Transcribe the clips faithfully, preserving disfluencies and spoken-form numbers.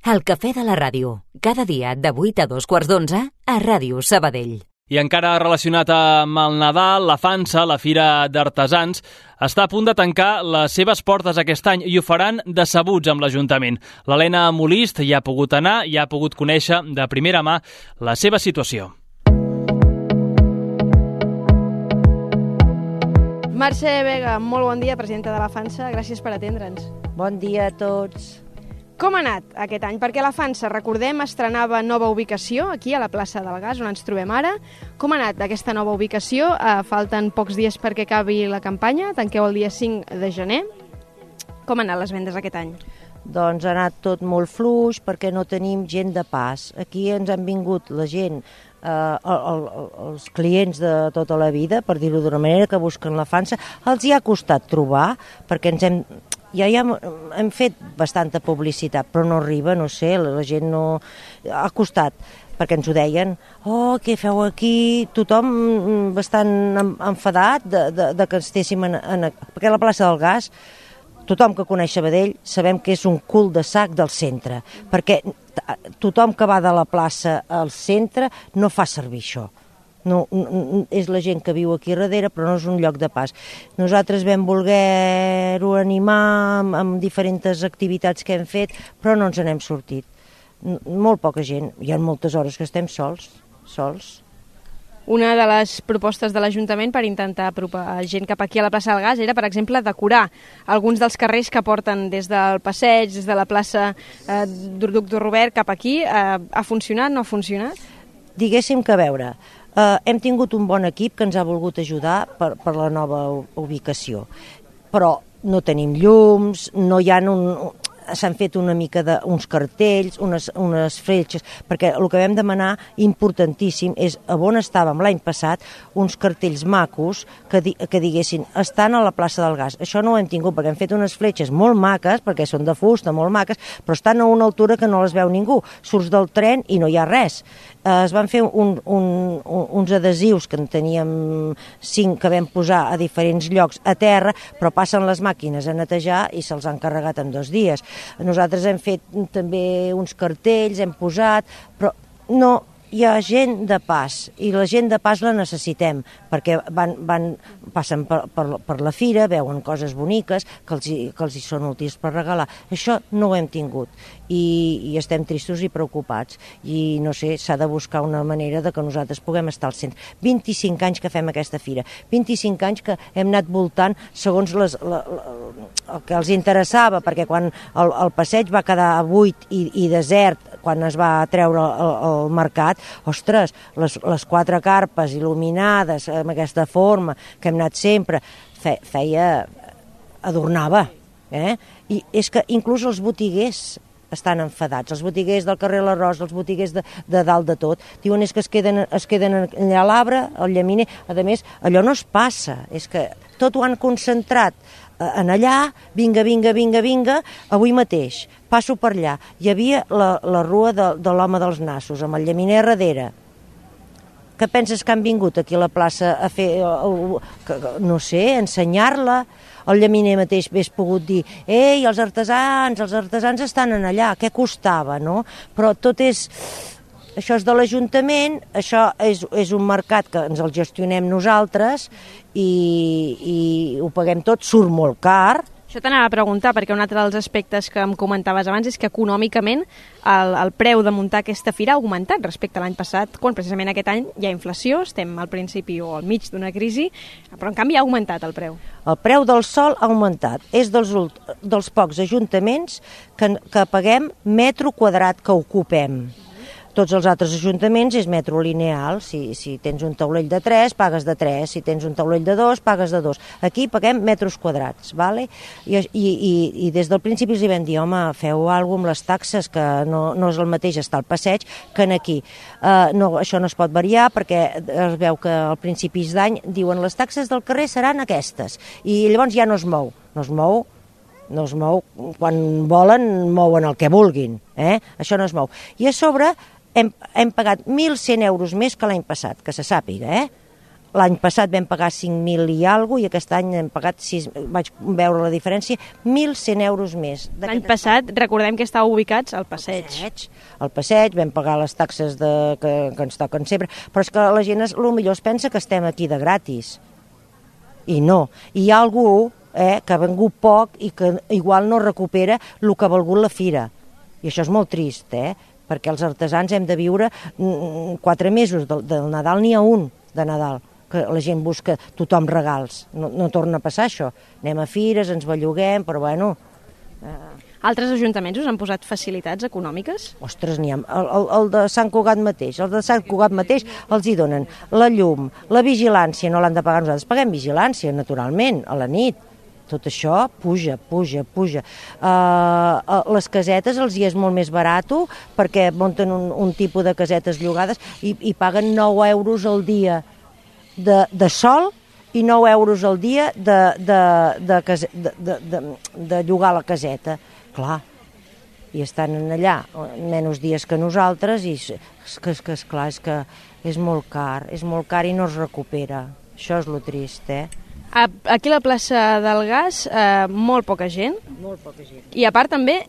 El cafè de la ràdio, cada dia de vuit a dos quarts d'onze a Ràdio Sabadell. I encara relacionat amb el Nadal, la Fansa, la Fira d'Artesans, està a punt de tancar les seves portes aquest any i ho faran decebuts amb l'Ajuntament. L'Helena Molist hi ha pogut anar i ha pogut conèixer de primera mà la seva situació. Mercè Vega, molt bon dia, presidenta de la Fansa. Gràcies per atendre'ns. Bon dia a tots. Com ha anat aquest any? Perquè la Fansa, recordem, estrenava nova ubicació aquí a la plaça del Gas, on ens trobem ara. Com ha anat aquesta nova ubicació? Eh, falten pocs dies perquè acabi la campanya, tanqueu el dia cinc de gener. Com han anat les vendes aquest any? Doncs ha anat tot molt fluix perquè no tenim gent de pas. Aquí ens han vingut la gent, eh, el, el, els clients de tota la vida, per dir-ho d'una manera, que busquen la Fansa. Els hi ha costat trobar perquè ens hem... Ja, ja hem fet bastanta publicitat, però no arriba, no sé, la gent no... Ha costat, perquè ens ho deien. Oh, què feu aquí? Tothom bastant enfadat de, de, de que estéssim en, en... Perquè la plaça del Gas, tothom que coneix Sabadell, sabem que és un cul de sac del centre, perquè tothom que va de la plaça al centre no fa servir això. No, és la gent que viu aquí darrere, però no és un lloc de pas. Nosaltres vam voler-ho animar amb, amb diferents activitats que hem fet, però no ens n'hem sortit. Molt poca gent. Hi ha moltes hores que estem sols, sols. Una de les propostes de l'Ajuntament per intentar apropar gent cap aquí a la plaça del Gas era, per exemple, decorar alguns dels carrers que porten des del passeig, des de la plaça eh, Doctor Robert cap aquí. Eh, ha funcionat, no ha funcionat? Diguéssim que a veure... Uh, hem tingut un bon equip que ens ha volgut ajudar per, per la nova ubicació, però no tenim llums, no hi ha un... s'han fet una mica d'uns cartells, unes, unes fletxes, perquè el que vam demanar, importantíssim, és on estàvem l'any passat, uns cartells macos que, di, que diguessin, estan a la plaça del Gas. Això no ho hem tingut, perquè hem fet unes fletxes molt maques, perquè són de fusta, molt maques, però estan a una altura que no les veu ningú. Surts del tren i no hi ha res. Eh, es van fer un, un, un, uns adhesius que en teníem cinc que vam posar a diferents llocs a terra, però passen les màquines a netejar i se'ls han carregat en dos dies. Nosaltres hem fet també uns cartells, hem posat, però no hi ha gent de pas, i la gent de pas la necessitem, perquè van, van, passen per, per, per la fira, veuen coses boniques que els, que els hi són útils per regalar. Això no ho hem tingut, i, i estem tristos i preocupats, i no sé, s'ha de buscar una manera de que nosaltres puguem estar al centre. vint-i-cinc anys que fem aquesta fira, vint-i-cinc anys que hem anat voltant segons les, la, la, el que els interessava, perquè quan el, el passeig va quedar buit i, i desert, quan es va treure el, el mercat, ostres, les, les quatre carpes il·luminades amb aquesta forma que hem anat sempre, fe, feia, adornava, eh? I és que inclús els botiguers estan enfadats, els botiguers del carrer l'Arròs, els botiguers de, de dalt de tot, diuen és que es queden, es queden allà a l'arbre, al llaminer, a més, allò no es passa, és que tot ho han concentrat en allà, vinga, vinga, vinga, vinga, avui mateix, passo per allà, hi havia la, la rua de, de l'home dels nassos, amb el llaminer a darrere. Què penses que han vingut aquí a la plaça a fer, no sé, ensenyar-la? El llaminer mateix hagués pogut dir, ei, els artesans, els artesans estan en allà, què costava, no? Però tot és... Això és de l'Ajuntament, això és, és un mercat que ens el gestionem nosaltres i, i ho paguem tot, surt molt car. Això t'anava a preguntar, perquè un altre dels aspectes que em comentaves abans és que econòmicament el, el preu de muntar aquesta fira ha augmentat respecte a l'any passat, quan precisament aquest any hi ha inflació, estem al principi o al mig d'una crisi, però en canvi ha augmentat el preu. El preu del sòl ha augmentat, és dels, dels pocs ajuntaments que, que paguem metro quadrat que ocupem. Tots els altres ajuntaments és metro lineal, si, si tens un taulell de tres, pagues de tres, si tens un taulell de dos, pagues de dos. Aquí paguem metres quadrats, ¿vale? I, i, i des del principi els hi vam dir, home, feu alguna cosa amb les taxes, que no, no és el mateix estar al passeig que en aquí. Uh, no, això no es pot variar perquè es veu que al principis d'any diuen les taxes del carrer seran aquestes, i llavors ja no es mou, no es mou, no es mou, quan volen mouen el que vulguin, eh? Això no es mou. I a sobre hem, hem pagat mil cent euros més que l'any passat, que se sàpiga, eh? l'any passat vam pagar cinc mil i alguna cosa i aquest any hem pagat sis, vaig veure la diferència, mil cent euros més. L'any passat, recordem que estàveu ubicats al passeig. passeig. Al passeig, vam pagar les taxes de, que, que ens toquen sempre, però és que la gent, es, potser es pensa que estem aquí de gratis. I no. Hi ha algú eh, que ha vengut poc i que igual no recupera el que ha valgut la fira. I això és molt trist, eh? Perquè els artesans hem de viure quatre mesos del, del Nadal, n'hi ha un de Nadal, que la gent busca tothom regals. No, no torna a passar això. Anem a fires, ens belluguem, però bueno... Eh... Altres ajuntaments us han posat facilitats econòmiques? Ostres, n'hi ha. El, el, el de Sant Cugat mateix. El de Sant Cugat mateix els hi donen la llum, la vigilància, no l'han de pagar nosaltres. Paguem vigilància, naturalment, a la nit. Tot això puja, puja, puja. Uh, les casetes els hi és molt més barat perquè munten un, un tipus de casetes llogades i, i paguen nou euros al dia de, de sol i nou euros al dia de, de, de, case, de, de, de, de llogar la caseta. Clar, i estan allà menys dies que nosaltres i és que, és que esclar, és que és molt car, és molt car i no es recupera. Això és lo trist, eh? Aquí a la plaça del Gas, eh, molt poca gent. Molt poca gent. I a part també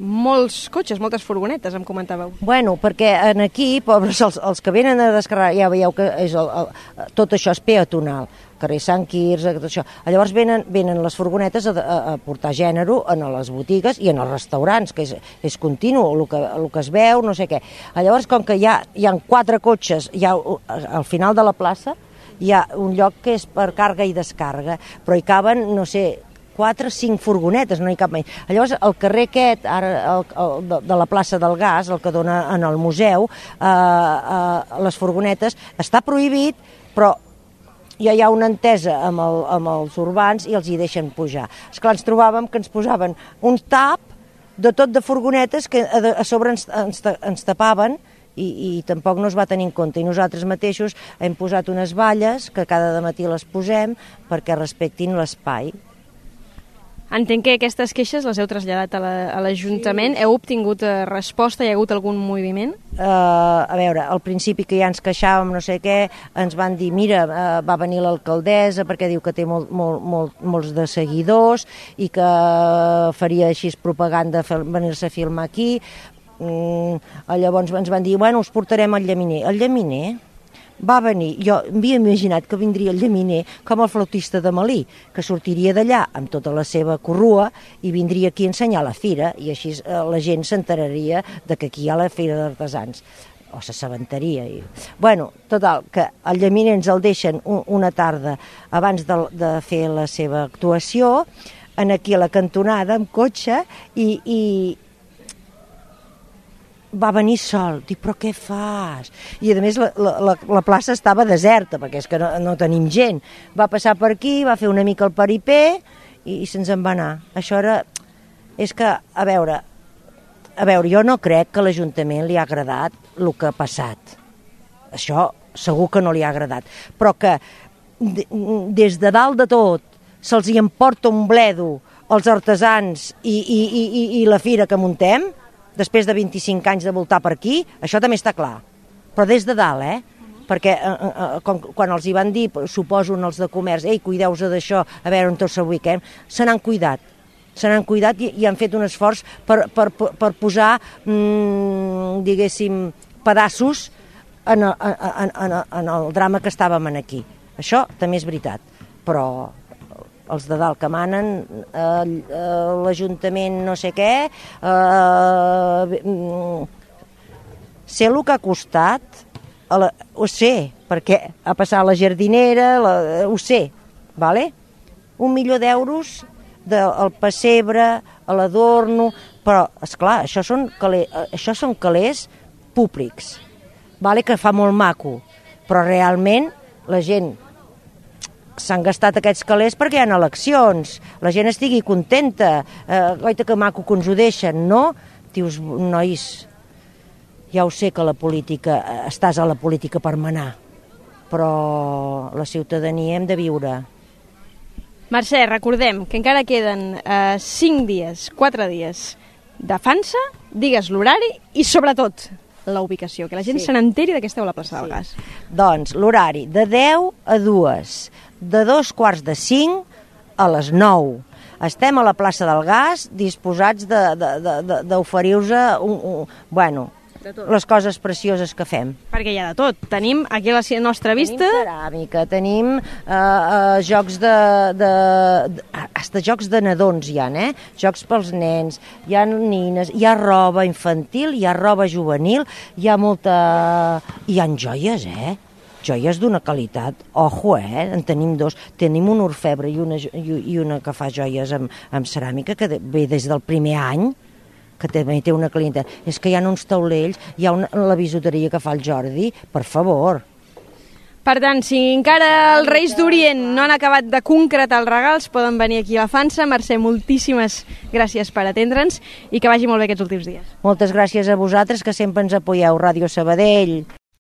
molts cotxes, moltes furgonetes, em comentàveu. Bueno, perquè en aquí, pobres, els, els que venen a descarregar, ja veieu que és el, el, tot això és peatonal, carrer Sant Quirze, tot això. Llavors venen, venen les furgonetes a, a, a portar gènere en les botigues i en els restaurants, que és, és continu, el que, el que es veu, no sé què. Llavors, com que hi ha, hi ha quatre cotxes hi ha, al final de la plaça, hi ha un lloc que és per càrrega i descàrrega, però hi caben, no sé, quatre o cinc furgonetes, no hi cap més. Llavors, el carrer aquest, ara, el, el, de, de la plaça del Gas, el que dona en el museu, eh, eh, les furgonetes, està prohibit, però ja hi ha una entesa amb, el, amb els urbans i els hi deixen pujar. Esclar, ens trobàvem que ens posaven un tap de tot de furgonetes que a, a sobre ens, ens, ens tapaven i, i tampoc no es va tenir en compte. I nosaltres mateixos hem posat unes valles que cada matí les posem perquè respectin l'espai. Entenc que aquestes queixes les heu traslladat a l'Ajuntament. Sí. Heu obtingut resposta? Hi ha hagut algun moviment? Uh, a veure, al principi que ja ens queixàvem, no sé què, ens van dir, mira, uh, va venir l'alcaldessa perquè diu que té molt, molt, molt, molts de seguidors i que faria així propaganda venir-se a filmar aquí. Mm, llavors ens van dir, bueno, us portarem al llaminer. El llaminer va venir, jo m'havia imaginat que vindria el llaminer com el flautista de Malí, que sortiria d'allà amb tota la seva corrua i vindria aquí a ensenyar la fira i així eh, la gent s'enteraria de que aquí hi ha la fira d'artesans o s'assabentaria. I... Bueno, total, que el llaminer ens el deixen un, una tarda abans de, de fer la seva actuació en aquí a la cantonada amb cotxe i, i va venir sol, dic, però què fas? I a més la, la, la plaça estava deserta, perquè és que no, no tenim gent. Va passar per aquí, va fer una mica el paripé i, i se'ns en va anar. Això era... És que, a veure, a veure, jo no crec que a l'Ajuntament li ha agradat el que ha passat. Això segur que no li ha agradat. Però que des de dalt de tot se'ls hi emporta un bledo als artesans i, i, i, i la fira que muntem, després de vint-i-cinc anys de voltar per aquí, això també està clar. Però des de dalt, eh? Perquè eh, eh, quan, quan els hi van dir, suposo els de comerç, ei, cuideu-vos d'això, a veure on tots s'ubiquem, se n'han cuidat. Se n'han cuidat i, i han fet un esforç per, per, per posar, mmm, diguéssim, pedaços en, en, en, en el drama que estàvem aquí. Això també és veritat, però els de dalt que manen, eh, l'Ajuntament no sé què, eh, sé el que ha costat, a la, ho sé, perquè ha passat la jardinera, la, ho sé, vale? Un milió d'euros del pessebre, a l'adorno, però, esclar, això són, calés, això són calés públics, vale? Que fa molt maco, però realment la gent s'han gastat aquests calés perquè hi ha eleccions, la gent estigui contenta, eh, goita que maco que ens ho deixen, no? Dius, nois, ja ho sé que la política, estàs a la política per manar, però la ciutadania hem de viure. Mercè, recordem que encara queden eh, cinc dies, quatre dies de fansa, digues l'horari i sobretot la ubicació, que la gent Sí. se n'enteri de que esteu a la plaça del Gas. Doncs l'horari de deu a dues, de dos quarts de cinc a les nou. Estem a la plaça del Gas disposats d'oferir-vos un, un, bueno, les coses precioses que fem. Perquè hi ha de tot. Tenim aquí a la nostra vista... Tenim ceràmica, tenim uh, uh, jocs de, de, de... Hasta jocs de nadons hi ha, eh? Jocs pels nens, hi ha nines, hi ha roba infantil, hi ha roba juvenil, hi ha molta... Hi ha joies, eh? Joies d'una qualitat. Ojo, eh? En tenim dos. Tenim un orfebre i una, i una que fa joies amb, amb ceràmica que ve des del primer any, que també té una clienta. És que hi ha uns taulells, hi ha una, la bisuteria que fa el Jordi, per favor. Per tant, si encara els Reis d'Orient no han acabat de concretar els regals, poden venir aquí a la Fansa. Mercè, moltíssimes gràcies per atendre'ns i que vagi molt bé aquests últims dies. Moltes gràcies a vosaltres, que sempre ens apoyeu, Ràdio Sabadell.